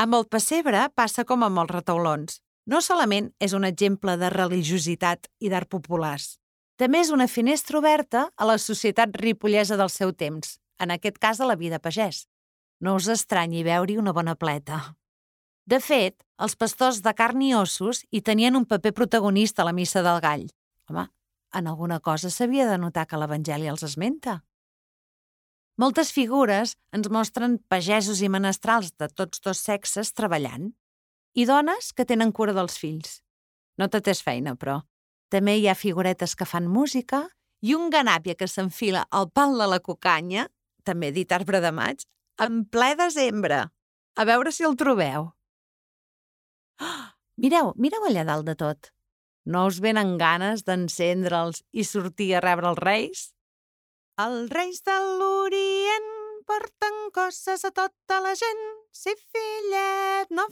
Amb el pessebre passa com amb els retaulons. No solament és un exemple de religiositat i d'art populars, també és una finestra oberta a la societat ripollesa del seu temps, en aquest cas a la vida pagès. No us estranyi veure-hi una bona pleta. De fet, els pastors de carn i ossos hi tenien un paper protagonista a la missa del gall. Home, en alguna cosa s'havia de notar que l'Evangeli els esmenta. Moltes figures ens mostren pagesos i menestrals de tots dos sexes treballant i dones que tenen cura dels fills. No tot és feina, però. També hi ha figuretes que fan música i un ganàpia que s'enfila al pal de la cucanya, també dit arbre de maig, en ple desembre. A veure si el trobeu. Oh, mireu allà dalt de tot. No us venen ganes d'encendre'ls i sortir a rebre els reis? Els reis de l'Orient porten coses a tota la gent. Sí, fillet, no